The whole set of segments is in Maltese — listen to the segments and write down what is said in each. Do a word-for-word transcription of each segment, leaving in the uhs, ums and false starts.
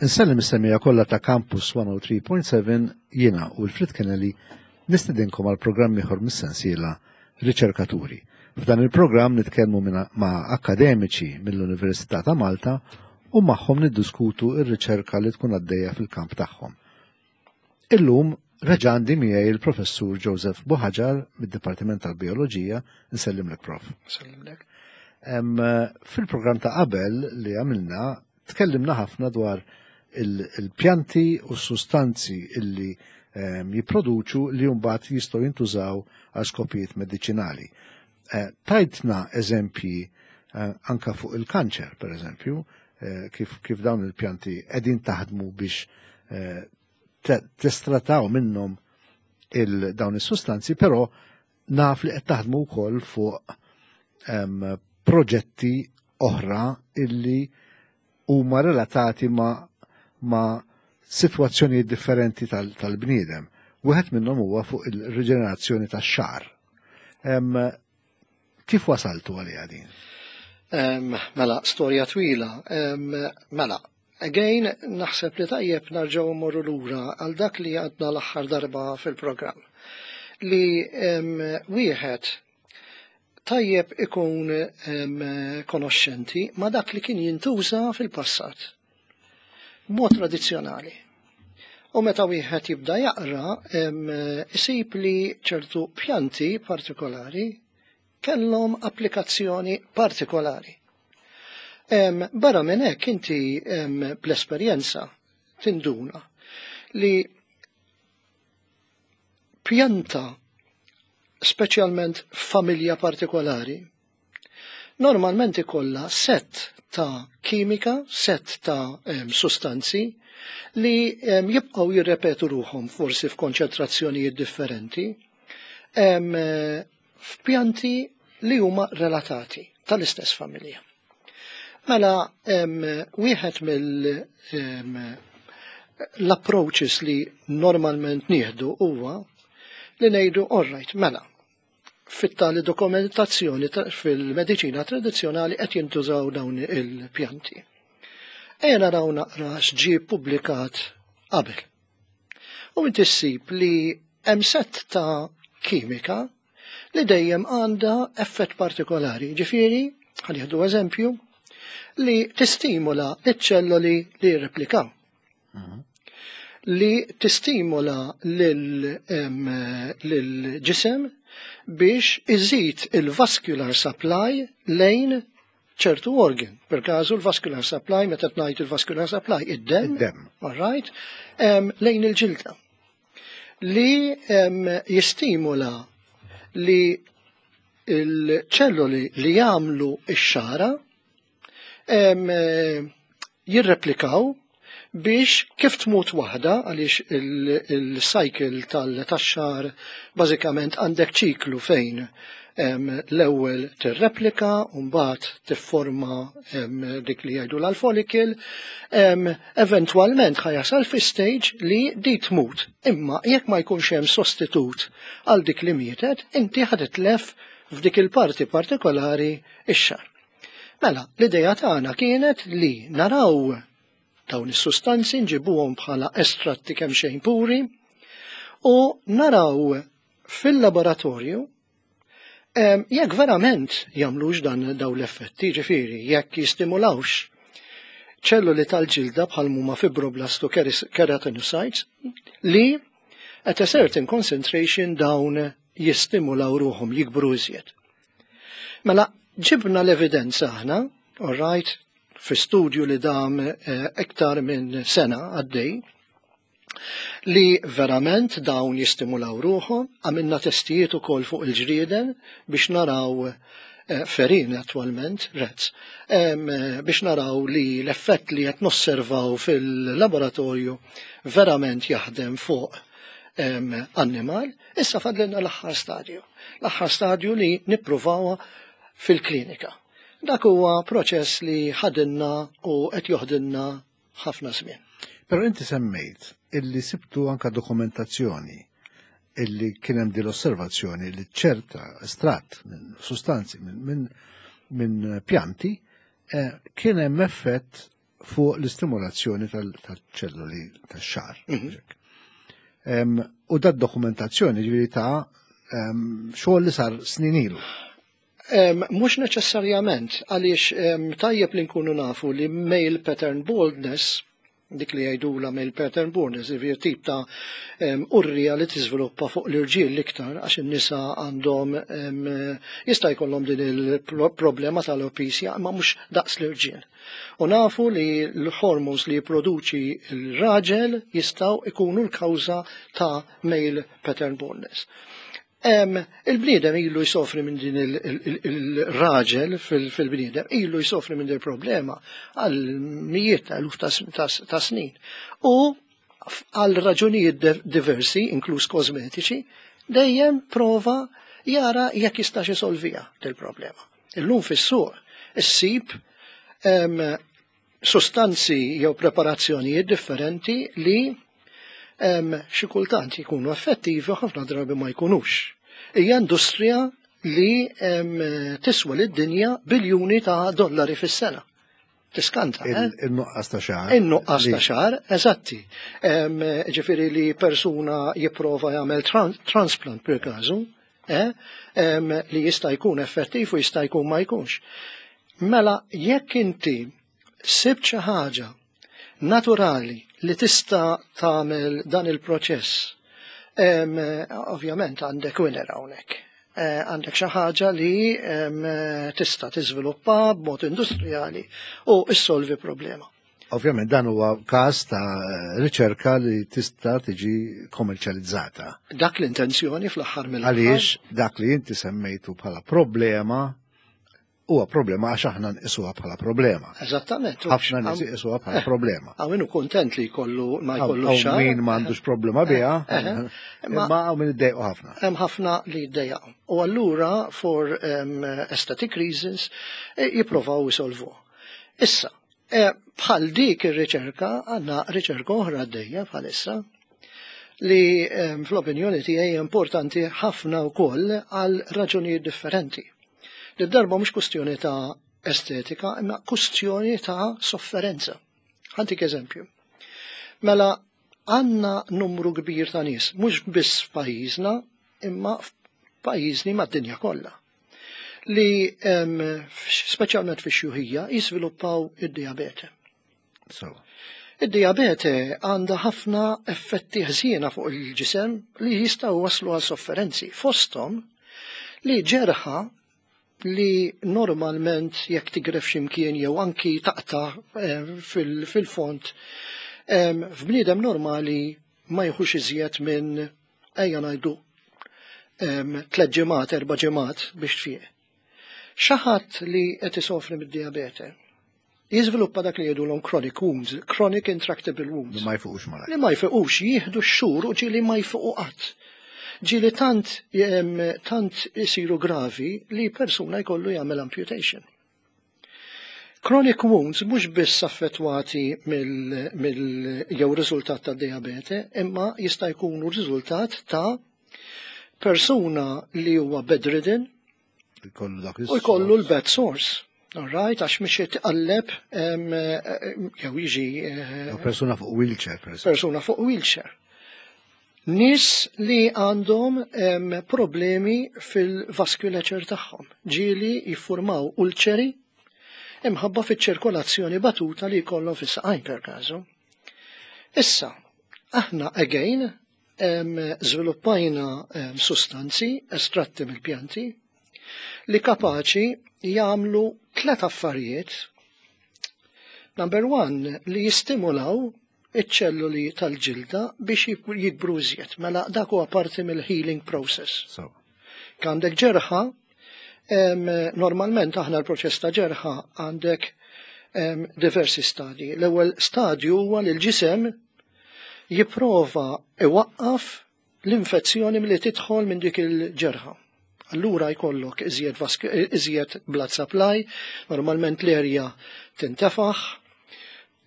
Insellem is-semmiegħa kollha ta' Campus one oh three point seven. Jiena u Wilfred Kennelly nistedinkom għal programm ieħor mis-sensiela Riċerkaturi. F'dan il-programm nitkellmu ma' akademiċi mill-Università ta' Malta u magħhom niddiskutu ir-riċerka li tkun għaddejja fil-kamp tagħhom. Illum reġa' għandi miegħi il-Professur Joseph Buhagiar mid-Dipartiment tal-Bioloġija. Nsellimlek, Prof. Nsellimlek. Fil-programm ta' qabel li għamilna tkellimna ħafna dwar il-pjanti u s-sustanzi illi ehm, jipproduċu li mbagħad jistgħu jintużaw għal skopijiet mediċinali. Eh, tajtna eżempji eh, anka fuq il-kanċer, per eżempju, eh, kif, kif dawn il-pjanti qegħdin taħdmu biex testrattaw minnhom il-dawn is-sustanzi, però naf li qed taħdmu wkoll fuq ehm, proġetti oħra illi huma relatati ma' ma' situazzjoni differenti tal-bniedem. Wieħed minnhom huwa fuq il-riġenerazzjoni tax-xagħar. Kif wasaltu għaliha din? Mela, storja twila. Mela, again, naħseb li tajjeb nerġgħu mmorru lura għal dak li għadna l-aħħar darba fil-programm. Li wieħed tajjeb ikun konoxxenti ma' dak li kien jintuża fil-passat mod tradizzjonali. U meta wieħed jibda jaqra, isib li ċertu pjanti partikolari kellhom applikazzjoni partikolari. Barra minn hekk, inti bl-esperjenza tinduna li pjanta, speċjalment familja partikolari, normalment ikollha set ta' kimika, set ta' em, sustanzi li em, jibqgħu jirrepetu ruħhom forsi f'konċentrazzjonijiet differenti em, f'pjanti li huma relatati tal-istess familja. Mela, em, wieħed mill em, l-approaches li normalment nieħdu huwa li ngħidu, all right, mela, fit-tali dokumentazzjoni fil-mediċina tradizzjonali qed jintużaw dawn il-pjanti. Ejja naraw naqra x'ġie publikat qabel. U inti ssib li hemm set ta' kimika li dejjem għandha effett partikolari. Ġifieri, ħa nieħdu eżempju, li tistimula iċ-ċelloli li jirreplikaw. Li tistimula lil-ġisem biex iżid il-vascular supply lejn ċertu organ. Per każu l-vascular supply, meta tgħid il-vascular supply, id-dem, Id-dem. All right, em, lejn il-ġilda. Li em, jistimula li il-ċelloli li jagħmlu ix-xara em, eh, jirreplikaw biex kif tmut waħda, għaliex il-cycle tal-tax-xagħar bażikament għandek ċiklu fejn em, l-ewwel tirreplika u mbagħad tifforma em, dik li jgħidu l-follicle, em, eventwalment ħa jasal fi stage li di tmut. Imma jekk ma jkunx hemm sostitut għal dik li mietet, inti ħa titlef f'dik il-parti partikolari ix-xagħar. Mela, l-ideja tagħna kienet li naraw dawn is-sustanzi, nġibuhom bħala estratti kemm xejn puri u naraw fil-laboratorju em, jekk verament jagħmlux dan daw l-effetti, ġifieri jekk jistimulawx ċelluli tal-ġilda bħal huma fibroblast u keratinocytes li at a certain concentration dawn jistimulaw ruħhom jikbru iżjed. Mela, ġibna l-evidenza aħna, all right, fi studju li dam eh, iktar minn sena għaddej, li verament dawn jistimulaw ruħhom. Għamilna testijiet ukoll fuq il-ġrieden biex naraw, eh, ferin attualment, rats, em, eh, biex naraw li l-effett li qed nosservaw fil-laboratorju verament jaħdem fuq em, annimal. Issa fadlilna l-aħħar stadju. L-aħħar stadju li nippruvawa fil-klinika. Dak huwa proċess li ħadinna u qed joħdilna ħafna żmien. Però inti semmejt illi sibtu anka dokumentazzjoni illi kien hemm din l-osservazzjoni li ċerta estratt minn sustanzi minn min, min pjanti eh, kien hemm effett fuq l-istimulazzjoni tal-ċelluli tax-xagħar. Mhm. U dat dokumentazzjoni ġifieri ta' xogħol li sar snin ilu. Mhux neċessarjament, għaliex tajjeb li nkunu nafu li male pattern baldness, dik li jgħidula male pattern baldness, jiġifieri tip ta' urrija li tiżviluppa fuq l-irġiel l-iktar, għax in-nisa għandhom jista' jkollhom din il-problema tal-alopecia, imma mhux daqs l-irġiel. U nafu li l-hormones li jipproduċi l-raġel jistgħu ikunu l-kawża ta' male pattern baldness. Il-bniedem ilu jsofri minn din, il-raġel fil-bniedem ilu jsofri minn din il-problema għal mijiet ta' eluf ta' snin. U għal raġunijiet diversi, inkluż kosmetiċi, dejjem prova jara jekk jistax isolvija il-problema. Illum fis-suq issib sostanzi jew preparazzjonijiet differenti li xi kultant jkunu effettivi u ħafna drabi ma jkunux. Hija industrija li tiswa lid-dinja biljuni ta' dollari fis-sena. Tiskanta, eh? Il-nuqqas ta' xagħar. Il-nuqqas ta' xagħar, eżatti. Ġifieri li persuna jipprova jagħmel transplant per każu, eh? Li jista' jkun effettiv u jista' jkun ma jkunx. Mela, jekk inti sibt xi ħaġa naturali li tista' tagħmel dan il-proċess, ovvjament għandek winner hawnhekk. Eh, għandek xi ħaġa li tista' tiżviluppa b'mod industrijali u issolvi problema. Ovvjament dan huwa każ ta' riċerka li tista' tiġi kommerċjalizzata. Dak l-intenzjoni fl-aħħar mill Għaliex dak li inti semmejtu bħala problema huwa problema għax aħna nqisuha bħala problema. Eżattament. Ħafna nies iqisuha bħala eh, problema. Hawn min hu kontent li jkollu ma jkollu xagħar. Min m'għandux problema biha, eh, eh, imma hawn min iddejqu ħafna. Hemm ħafna li jiddejjaqu. U allura for um, aesthetic reasons jippruvaw isolvu. Issa, bħal dik ir-riċerka għandna riċerka oħra għaddejja bħalissa li fl-opinjoni tiegħi importanti ħafna wkoll għal raġunijiet differenti. Li darba mhux kustjoni ta' estetika, imma kustjoni ta' sofferenza. Ħa ntik eżempju. Mela, għandna numru kbir ta' nies, mhux biss f'pajjiżna, imma f'pajjiżni mad-dinja kollha, li speċjalment fi xjuħija jiżviluppaw id-diabete. So. Id-diabete għandha ħafna effetti ħżiena fuq il-ġisem li jistgħu waslu għal sofferenzi. Fosthom li ġerħa li normalment jekk tigref ximkien jew anki taqta eh, fil-font, f'bniedem normali ma jieħux iżjed minn, ejja ngħidu, tliet ġimgħat, erba' ġimgħat biex tfieq. Xi ħadd li qed isofri mid-diabete jiżviluppa dak li jgħidulhom chronic wounds, chronic intractable wounds. Li ma jfiqux malajr. Li ma jfiqux, jieħdu x-xhur u ġieli ma jfiqu qatt. Ġieli tant tant isiru gravi li persuna jkollu jagħmel amputation. Chronic wounds mhux biss affettwati mill, mill jew riżultat ta' diabete, imma jista' jkunu riżultat ta' persuna li huwa bedridden u jkollu l-bed sores. All right, għax mhix tqalleb jew jiġi eh, persuna fuq wheelchair. Persuna fuq wheelchair. Nies li għandhom problemi fil-vasculature tagħhom. Ġieli jiffurmaw ulċeri imħabba fiċ-ċirkolazzjoni batuta li jkollhom fis-saqajn per każu. Issa, aħna again żviluppajna sustanzi estratti mill-pjanti li kapaċi jagħmlu tlet affarijiet. Number one, li jistimulaw iċ-ċelluli tal-ġilda biex jikbru iżjed. Mela dak huwa parti mill-healing process. So. Għandek ġerħa, normalment aħna l-proċess ta' ġerħa għandek diversi stadji. L-ewwel stadju huwa li l-ġisem jipprova iwaqqaf l-infezzjoni milli tidħol minn dik il-ġerħa. Allura jkollok iżjed, iżjed blood supply, normalment l-erja tintefaħ,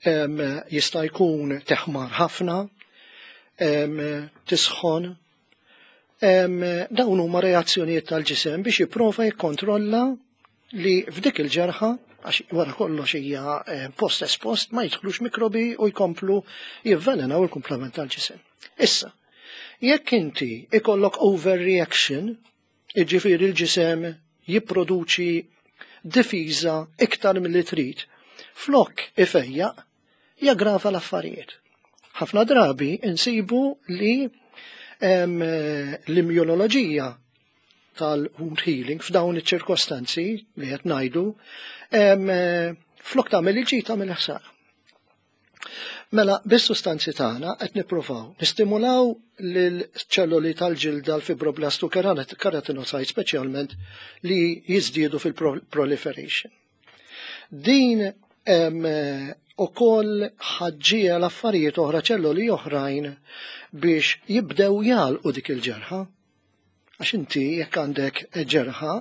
jista' jkun teħmar ħafna, tisħon. Dawn huma reazzjonijiet tal-ġisem biex jipprova jikkontrolla li f'dik il-ġerħa Għax wara kollox hija eh, post espost, ma jidħlux mikrobi u jkomplu jivvelenaw il-kumplament tal-ġisem. Issa, jekk inti ikollok overreaction, iġifieri il-ġisem jipproduċi difiża iktar milli trid, flok ifejjaq, jaggrava l-affarijiet. Ħafna drabi insibu li em, l-immunoloġija tal-wound healing f'dawn iċ-ċirkostanzi li qed ngħidu, em, flok tagħmel il-ġid tagħmel ħsara. Mela, bis-sustanzi tagħna qed nippruvaw nistimulaw lil-ċelloli tal-ġilda, l-fibroblastu, keratinocyte speċjalment, li jiżdiedu fil-proliferation. Din em, ukoll ħaġġija l-affarijiet oħra, ċelloli oħrajn biex jibdew jagħlqu dik il-ġerħa. Għax inti jekk għandek ġerħa,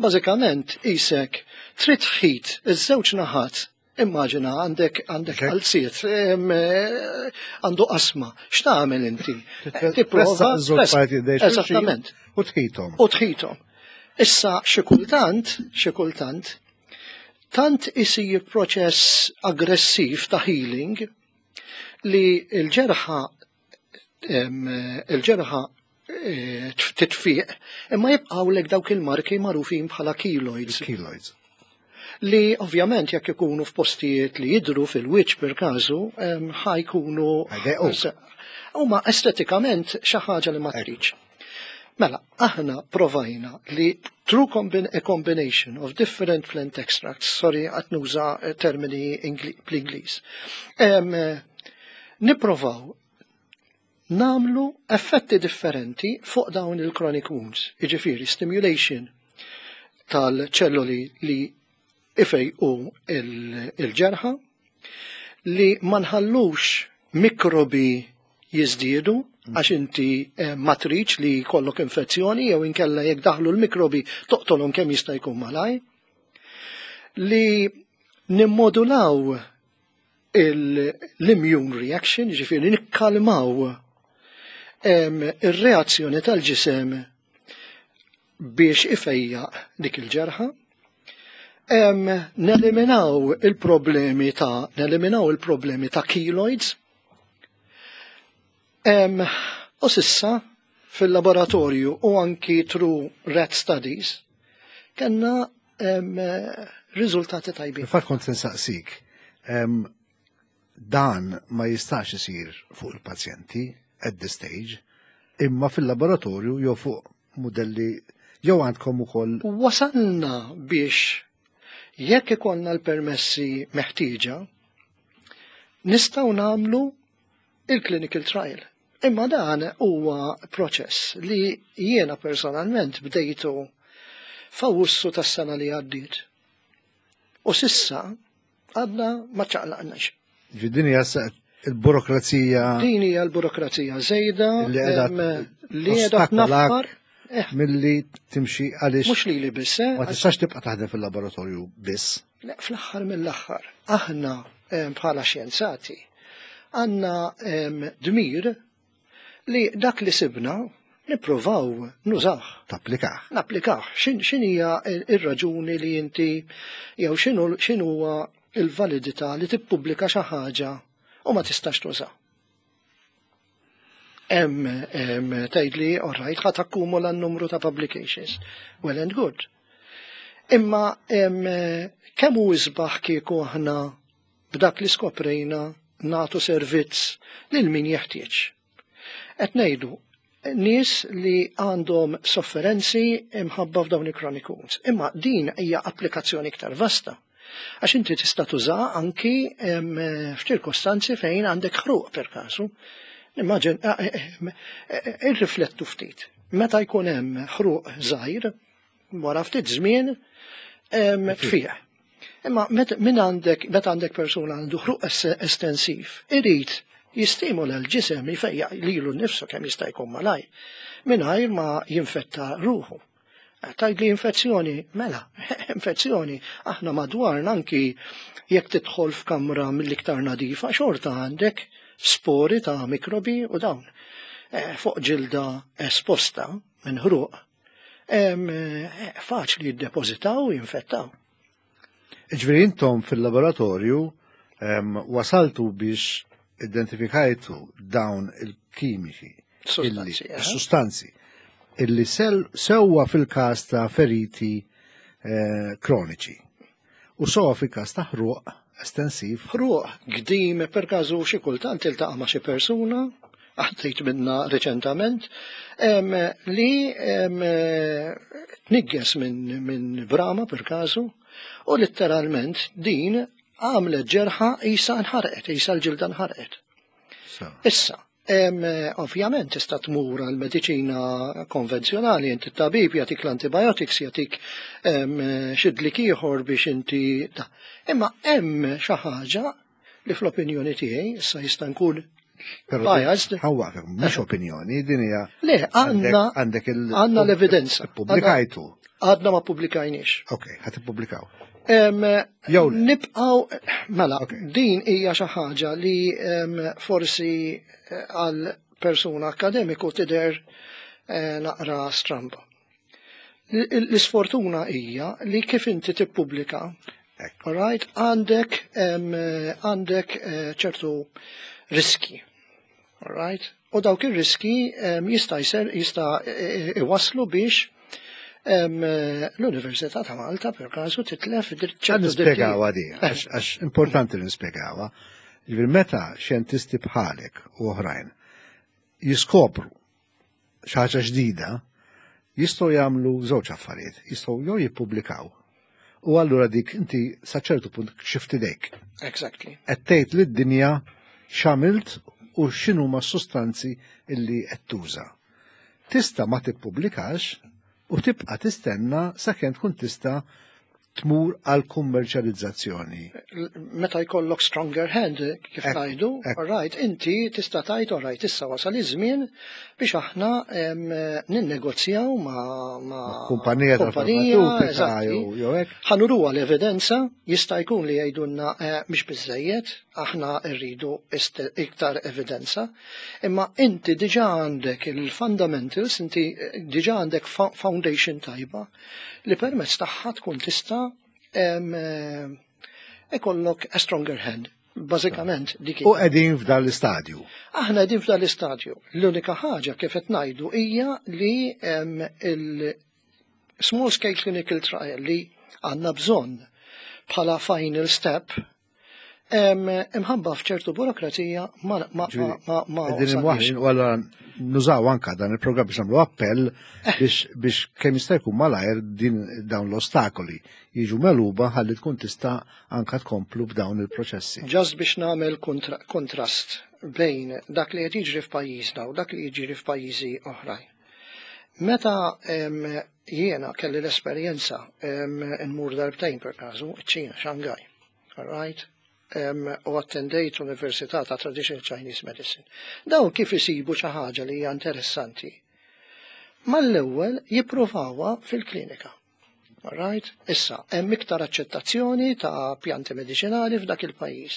bażikament isek trid tħit iż-żewġ naħat. Immaġina għandek għandek Ok. qalziet, em, eh, għandu qasma. X'tagħmel inti? Tipprova Żewġ parti dejn xulxin. Eżattament. U tħithom. U tħithom. Issa xi kultant, xi kultant, tant isir proċess aggressiv ta' healing li l-ġerħa em, il-ġerħa eh, titfiq, imma jibqgħu dawk il-marki magħrufin bħala keloids, Keloids. li ovvjament jekk ikunu f'postijiet li jidru fil-wiċċ per każu, em, ħa jkunu Ħajdejquk. Huma estetikament xi ħaġa li ma tridx. Mela, aħna provajna li through combin a combination of different plant extracts, sorry qed nuża eh, termini Ingli- bl-Ingliż, em, eh, niprovaw namlu effetti differenti fuq dawn il-chronic wounds, iġifieri stimulation tal-ċelloli li ifejqu il-ġerħa, li ma nħallux mikrobi jiżdiedu, għax inti eh, ma tridx li jkollok infezzjoni jew inkella jekk daħlu l-mikrobi toqtolhom kemm jista' jkun malaj, li nimmodulaw l-immune reaction, ġifieri nikkalmaw em, ir-reazzjoni tal-ġisem biex ifejjaq dik il-ġerħa, Em, neliminaw il-problemi ta' neliminaw il-problemi ta' keloids. Em, u s'issa fil-laboratorju u anki through rat studies kellna em, riżultati tajbin. Infatti kont nsaqsik, em, dan ma jistax isir fuq il-pazjenti at this stage, imma fil-laboratorju jew fuq modelli jew għandkom ukoll? Wasalna biex jekk ikollna l-permessi meħtieġa, nistgħu nagħmlu il-clinical trial. Imma dan huwa proċess li jiena personalment bdejtu f'Awwissu tas-sena li għaddiet. U s'issa għadna ma ċaqlaqnax. Din hija il-burokrazija. Din hija l-burokrazija żejda li qiegħda em, li qiegħda tnaffar eh, milli timxi għaliex mhux lili biss, eh, ma tistax tibqa' taħdem fil-laboratorju biss. Le, fl-aħħar mill-aħħar, aħna em, bħala xjenzati għandna em, dmir li dak li sibna nippruvaw nużah. Tapplikah. Napplikah. Xin hija ir-raġuni li inti jew x'inhu x'inhuwa il-validità li tippubblika xi ħaġa u ma tistax tuża? Hemm hemm tgħidli, all right, ħa takkumula n-numru ta' publications. Well and good. Imma em, kemm hu isbaħ kieku aħna b'dak li skoprejna nagħtu servizz lil min jeħtieġ. Qed ngħidu nies li għandhom sofferenzi imħabba f'dawn il-chronic wounds. Imma din hija applikazzjoni iktar vasta. Għax inti tista' tuża anki em, f'ċirkostanzi fejn għandek ħruq per kasu. Immaġin, irriflettu ftit. Meta jkun hemm ħruq żgħir, wara ftit żmien em, tfieq. Imma met- min għandek, meta għandek persuna għandu ħruq es- estensiv, irid jistimula l-ġisem jfejjaq lilu nnifsu kemm jista' jkun malaj, mingħajr ma jinfetta ruħu. Tgħid li infezzjoni, mela, infezzjoni, aħna madwarna anki jekk tidħol f'kamra mill-iktar nadifa, xorta għandek spori ta' mikrobi u dawn. Eh, fuq ġilda esposta minn ħruq, em, eh, faċli jiddepożitaw u jinfettaw. Ġifieri intom fil-laboratorju em, wasaltu biex identifikajtu dawn il-kimiċi, Sustanzi, illi- eh? sustanzi, illi sel, sewwa fil-każ ta' feriti eh, kroniċi u sewwa fil-każ ta' ħruq estensiv. Ħruq, gdim, per każu xi kultant tiltaqa' ma' xi persuna, għaddejt minna reċentament, em, li em, tnigges minn min brama per każu, u letteralment din għamlet ġerħa isa nħarqet, isa l-ġilda nħarqet. So. Issa, em, ovvjament tista' tmur għal mediċina konvenzjonali, inti t-tabib jagħtik l-antibiotics, jagħtik em, xi dlik ieħor biex inti ta. Imma hemm xi ħaġa li fl-opinjoni tiegħi issa jista' nkun Però biased. Ħa nwaqfek, mhux opinjoni, din hija Le, għandna għandek il għandna l-evidenza. Pubblikajtu. Għadna ma pubblikajniex. Ok, ħa tippubblikaw. Em, Jew le. Nibqaw, mela, Ok. din hija xi ħaġa li em, forsi eh, għal persuna akademiku tidher eh, naqra stramba. L- L-isfortuna hija li kif inti tippubblika, Ekk. alright, għandek em, għandek eh, ċertu riski. Alright? U dawk ir-riski em, jista' jser jista' eh, iwaslu biex em, l-Università ta' Malta per każu titlef Ħa ċertu nispjegawha di, għax għax importanti li nispjegawha. Ġifieri meta xjentisti bħalek u oħrajn jiskopru xi ħaġa ġdida, jistgħu jagħmlu żewġ affarijiet, jistgħu jew jippubblikaw. U allura dik inti sa ċertu punt kxift idejk. Exactly. Qed tgħid lid-dinja x'għamilt u x'inhuma s-sustanzi illi qed tuża. Tista' ma tippubblikax u tibqa' tistenna sakemm tkun tista' tmur għal kummerċjalizzazzjoni. Meta jkollok stronger hand, kif Ek, ngħidu, ek. alright, inti tista' tgħid alright, issa wasal iż-żmien biex aħna em, ninnegozjaw ma' ma' Kumpanija kumpanija, tal-farmaceutika eżatti. jew jew hekk. Ħa nuruha l-evidenza, jista' jkun li jgħidulna eh, mhix biżejjed, aħna rridu ist- iktar evidenza, imma inti diġà għandek il-fundamentals, inti eh, diġà għandek fo- foundation tajba li permezz tagħha tkun tista' em, eh, ikollok a stronger hand. Bażikament dik U qegħdin f'dan l-istadju. Aħna qegħdin f'dan l-istadju. L-unika ħaġa kif qed ngħidu hija li em, il-small scale clinical trial li għandna bżonn bħala final step em, imħabba f'ċertu burokrazija ma ma ma ma, ma Qegħdin wasalniex. imwaħħlin u allura nużaw anka dan il-programm biex nagħmlu appell biex biex kemm jista' jkun malajr din dawn l-ostakoli jiġu megħluba ħalli tkun tista' anka tkomplu b'dawn il-proċessi. Just biex nagħmel kontra kontrast bejn dak li qed jiġri f'pajjiżna u dak li jiġri f'pajjiżi oħrajn. Meta em, jiena kelli l-esperjenza em, nmur darbtejn per każu, ċ-Ċina, Shanghai, all right? Em, u attendejt l-Università ta' Traditional Chinese Medicine. Dawn kif isibu xi ħaġa li hija interessanti. Mal-ewwel jippruvawha fil-klinika. All right? Issa, hemm iktar aċċettazzjoni ta' pjanti mediċinali f'dak il-pajjiż.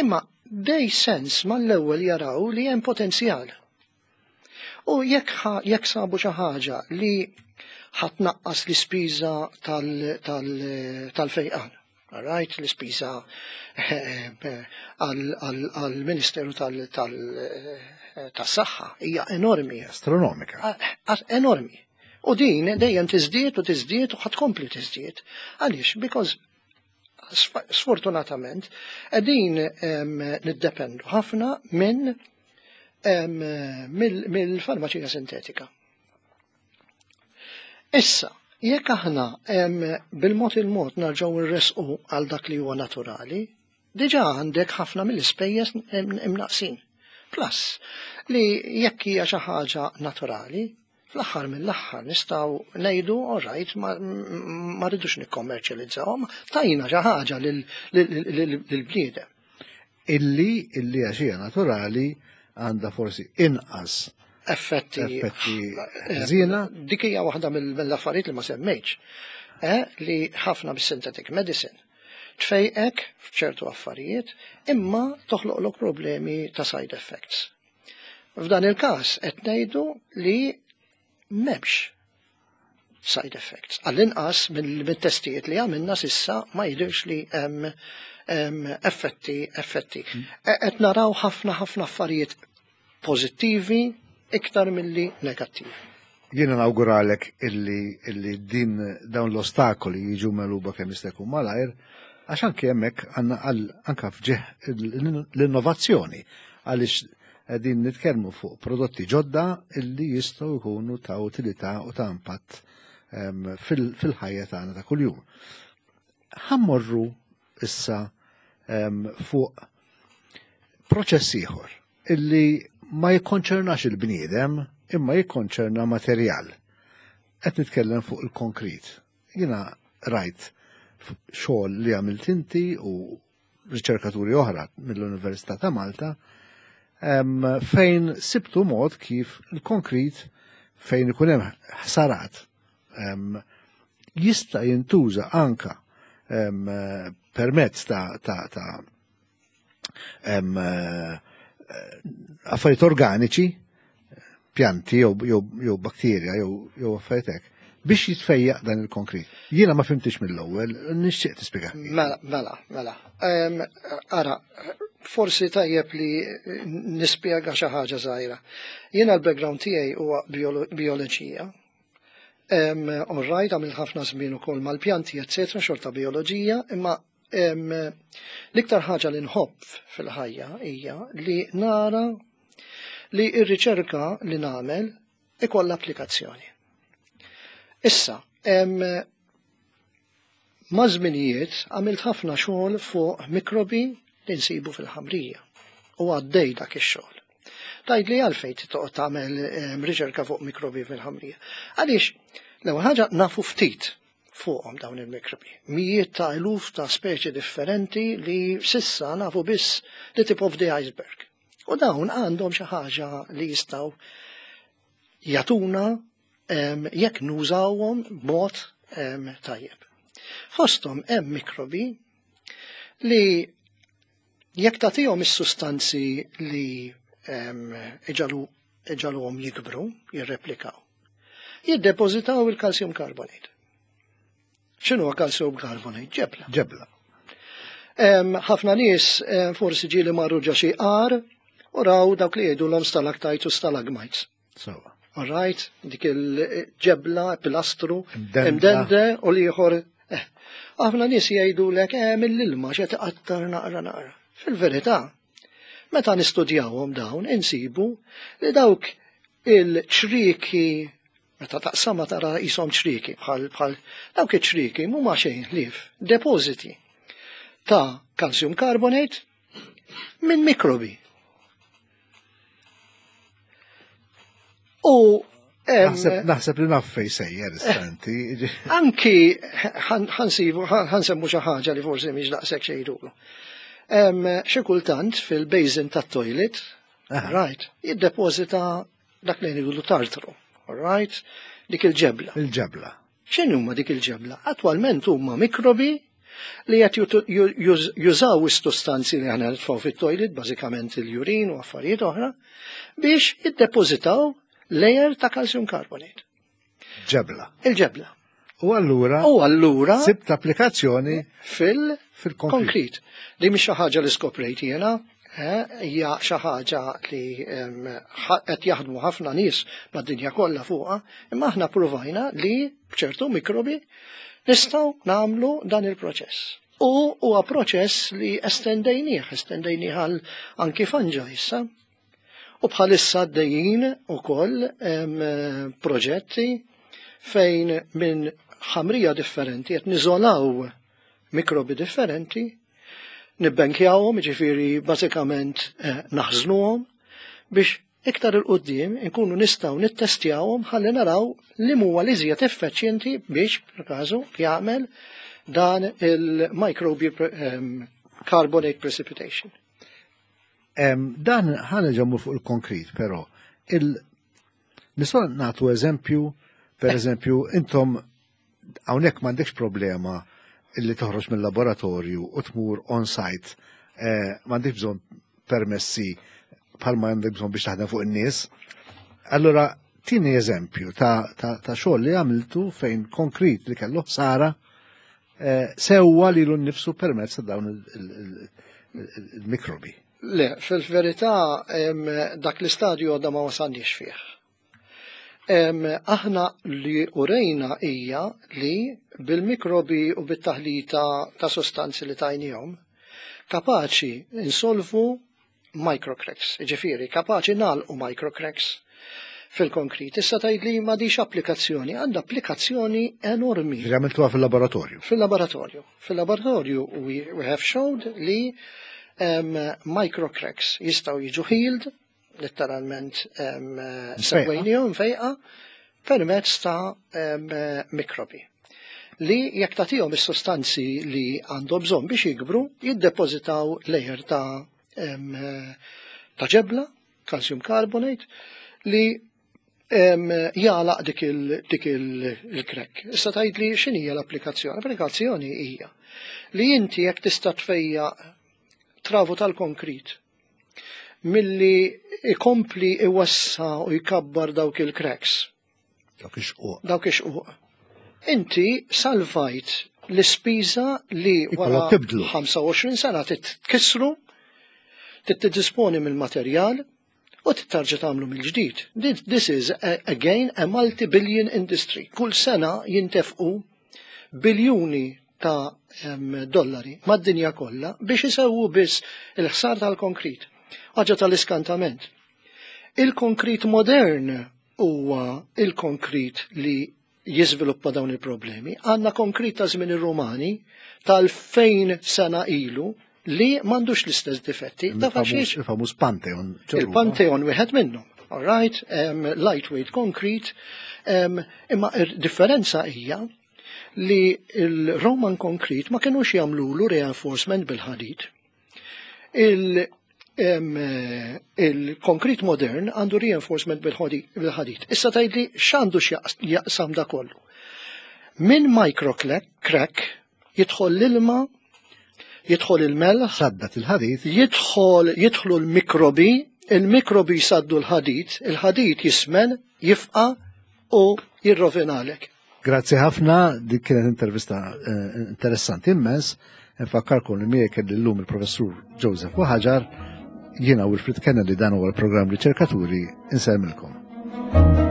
Imma they sense mal-ewwel jaraw li hemm potenzjal. U jekk ħa- jekk sabu xi ħaġa li ħa tnaqqas l-ispiża tal- tal- tal-fejqan. All right, l-ispiża eh, għal-Ministeru tal- tal- eh, tas-Saħħa hija enormi. Astronomika. A- enormi. U din dejjem tiżdied u tiżdied u ħa tkompli tiżdied. Għaliex? Because sf- sfortunatament qegħdin em, niddependu ħafna minn em, mill- mill-farmaċija sintetika. Issa, jekk aħna em, bil-mod il-mod narġgħu nresqu għal dak li huwa naturali, diġà għandek ħafna mill-ispejjeż im- imnaqsin. Plus, li jekk hija xi ħaġa naturali, fl-aħħar mill-aħħar nistgħu ngħidu all right, ma, ma rridux nikkommerċjalizzawhom, tajna xi ħaġa lil-bniedem. Illi illi għax hija naturali għandha forsi inqas Effetti effetti ħżiena. Dik hija waħda mill- mill-affarijiet li ma semmejtx, eh, li ħafna bis-synthetic medicine tfejqek f'ċertu affarijiet imma toħloqlok problemi ta' side effects. F'dan il-każ qed ngħidu li m'hemmx side effects. Għall-inqas mill-testijiet li għamilna s'issa ma jidirx li hemm effetti effetti. Qed naraw ħafna ħafna affarijiet pożittivi iktar milli negattivi. Jiena nawguralek illi, illi din dawn l-ostakoli jiġu megħluba kemm jista' jkun malajr, għax anke hemmhekk għandna anke f'ġieħ l-innovazzjoni, għaliex qegħdin nitkellmu fuq prodotti ġodda illi jistgħu jkunu ta' utilità u ta' impatt fil-ħajja tagħna ta' kuljum. Ħa mmorru issa fuq proċess ieħor illi ma jikkonċernax il-bniedem imma jikkonċerna materjal. Qed nitkellem fuq il-konkrit. Jiena rajt xogħol li għamilt inti u riċerkaturi oħra mill-Università ta' Malta fejn sibtu mod kif il-konkrit fejn ikun hemm ħsarat jista' jintuża anka permezz ta' ta' ta' affarijiet organiċi, pjanti jew bakterja jew affarijiet hekk, biex jitfejjaq dan il-konkrit. Jiena ma fhimtix mill-ewwel, nixtieq tispjega. Mela, mela, mela. Ara, forsi tajjeb li nispjega xi ħaġa żgħira. Jiena l-background tiegħi huwa bioloġija. All right, għamilt ħafna żmien ukoll mal-pjanti, eccetera, xorta bioloġija, imma l-iktar ħaġa li nħobb fil-ħajja hija li nara li r-riċerka li nagħmel ikollha applikazzjoni. Issa, ma' żminijiet għamilt ħafna xogħol fuq mikrobi li nsibu fil-ħamrija u għaddej dak ix-xogħol. Tgħid li għalfejn toqgħod tagħmel riċerka fuq mikrobi fil-ħamrija. Għaliex l-ewwel ħaġa nafu ftit fuqhom dawn il-mikrobi. Mijiet ta' eluf ta' speċi differenti li s'issa nafu biss the tip of the iceberg. U dawn għandhom xi ħaġa li jistgħu jagħtuna jekk nużawhom b'mod tajjeb. Fosthom hemm mikrobi li jekk tagħtihom is-sustanzi li iġagħluhom jikbru, jirreplikaw, jiddepożitaw il-calcium carbonate. X'inhu calcium carbonate? Ġebla. Ġebla. Ħafna nies forsi ġieli marru ġo xi għar u raw dawk li jgħidulhom stalactites u stalagmites. Sewwa. All right, dik il-ġebla, pilastru, imdende u l-ieħor. Ħafna nies jgħidulek eh mill-ilma x'qed iqattar naqra naqra. Fil-verità, meta nistudjawhom dawn insibu li dawk il-ċrieki, meta taqsama tara qishom ċrieki bħal bħal dawk iċ-ċrieki mhuma xejn ħlief depożiti ta' calcium carbonate minn mikrobi. U naħseb li naf fejn sejjer istanti. Anki ħansibu ħansemmu xi ħaġa li forsi mhix daqshekk xejdulu. Xi kultant fil-basin tat-toilet, right, jiddepożita dak li ngħidu tartru, all right, dik il-ġebla. Il-ġebla. X'inhu huma dik il-ġebla? Attwalment huma mikrobi li qed jużaw is-sustanzi li aħna nitfgħu fit-toilet, bażikament il-urin u affarijiet oħra, biex jiddepożitaw layer ta' calcium carbonate. Ġebla. Il-ġebla. U allura U allura sibt applikazzjoni fil-konkrit. Li mhix xi ħaġa li skoprejt jiena, hija xi ħaġa li qed jaħdmu ħafna nies mad-dinja kollha fuqha, imma aħna ppruvajna li b'ċertu mikrobi nistgħu nagħmlu dan il-proċess. U huwa proċess li estendejnieh, estendejnieh għal anki fungi issa. U bħalissa għaddejjin ukoll proġetti fejn minn ħamrija differenti qed niżolaw mikrobi differenti, nibbenkjawhom, jiġifieri bażikament naħżnuhom biex iktar il quddiem inkunu nistgħu nittestjawhom ħalli naraw li huwa li iżjed effiċjenti biex per każu jagħmel dan il-microbial carbonate precipitation. Dan ħa ġemmu fuq il-konkrit, però nistgħu nagħtu eżempju, per eżempju, intom hawnhekk m'għandekx problema illi toħroġ mill-laboratorju u tmur on-site, m'għandekx bżonn permessi bħalma għandek bżonn biex taħdem fuq in-nies. Allura Tini eżempju ta', ta, ta' xogħol li għamiltu fejn konkrit li kellu ħsara eh, sewwa lilu nnifsu permezz ta' dawn il-mikrobi. Le, fil-verità dak l-istadju għadna ma wasalniex fih. Aħna li urejna hija li bil-mikrobi u bit-taħlita ta' sostanzi li tajnihom kapaċi insolvu microcracks, ġifieri, kapaċi nagħlqu microcracks fil-konkrit. Issa tgħid li m'għandhiex applikazzjoni, għandha applikazzjoni enormi. Għamiltuha fil-laboratorju. Fil-laboratorju. Fil-laboratorju we, we have showed li um, microcracks jistgħu jiġu healed, letteralment um, sewwejnihom fejqa, permezz ta' um, mikrobi li jekk tagħtihom is-sostanzi li għandhom bżonn biex jikbru, jiddepożitaw layer ta' um, ta' ġebla, calcium carbonate, li jagħlaq dik il-crack. Issa tgħid li x'inhija l-applikazzjoni? L-applikazzjoni hija li inti jekk tista' tfejjaq travu tal-konkrit milli ikompli iwessa' u jkabbar dawk il-cracks. Dawk ix-xquq. Dawk ix-xquq. Inti salvajt l-ispiża li wara ħamsa u għoxrin sena titkissru, titdisponi mill-materjal u tittarġa tagħmlu mill-ġdid. This is again a multi-billion industry. Kull sena jintefqu biljuni ta' dollari mad-dinja kollha biex isewwu biss il-ħsar tal-konkrit. Ħaġa tal-iskantament. Il-konkrit modern huwa il-konkrit li jiżviluppa dawn il-problemi. Għandna konkrit ta' żmien ir-Rumani tal-fejn sena ilu li m'għandux l-istess difetti. Il-famuż Pantheon. Il-Pantheon wieħed minnhom. All right, um, lightweight concrete, um, imma il-differenza hija li il-Roman concrete ma kienux jagħmlulu reinforcement bil-ħadid. Il-konkrit modern għandu reinforcement bil-ħadid. Issa tgħidli x'għandu x'jaqsam da kollu. Min microcrack jidħol l-ilma, jidħol il-melħ, Saddat il-ħadid. jidħol jidħlu l-mikrobi, il-mikrobi jsaddu l-ħadid, il-ħadid jismen, jifqa u jirrovinalek. Grazzi ħafna, dik kienet intervista eh, interessanti immens. Nfakkarkom li miegħek kelli llum il-professur Joseph Buhagiar, jiena Wilfred Kennedy, dan huwa l-programm Riċerkaturi, insellmilkom.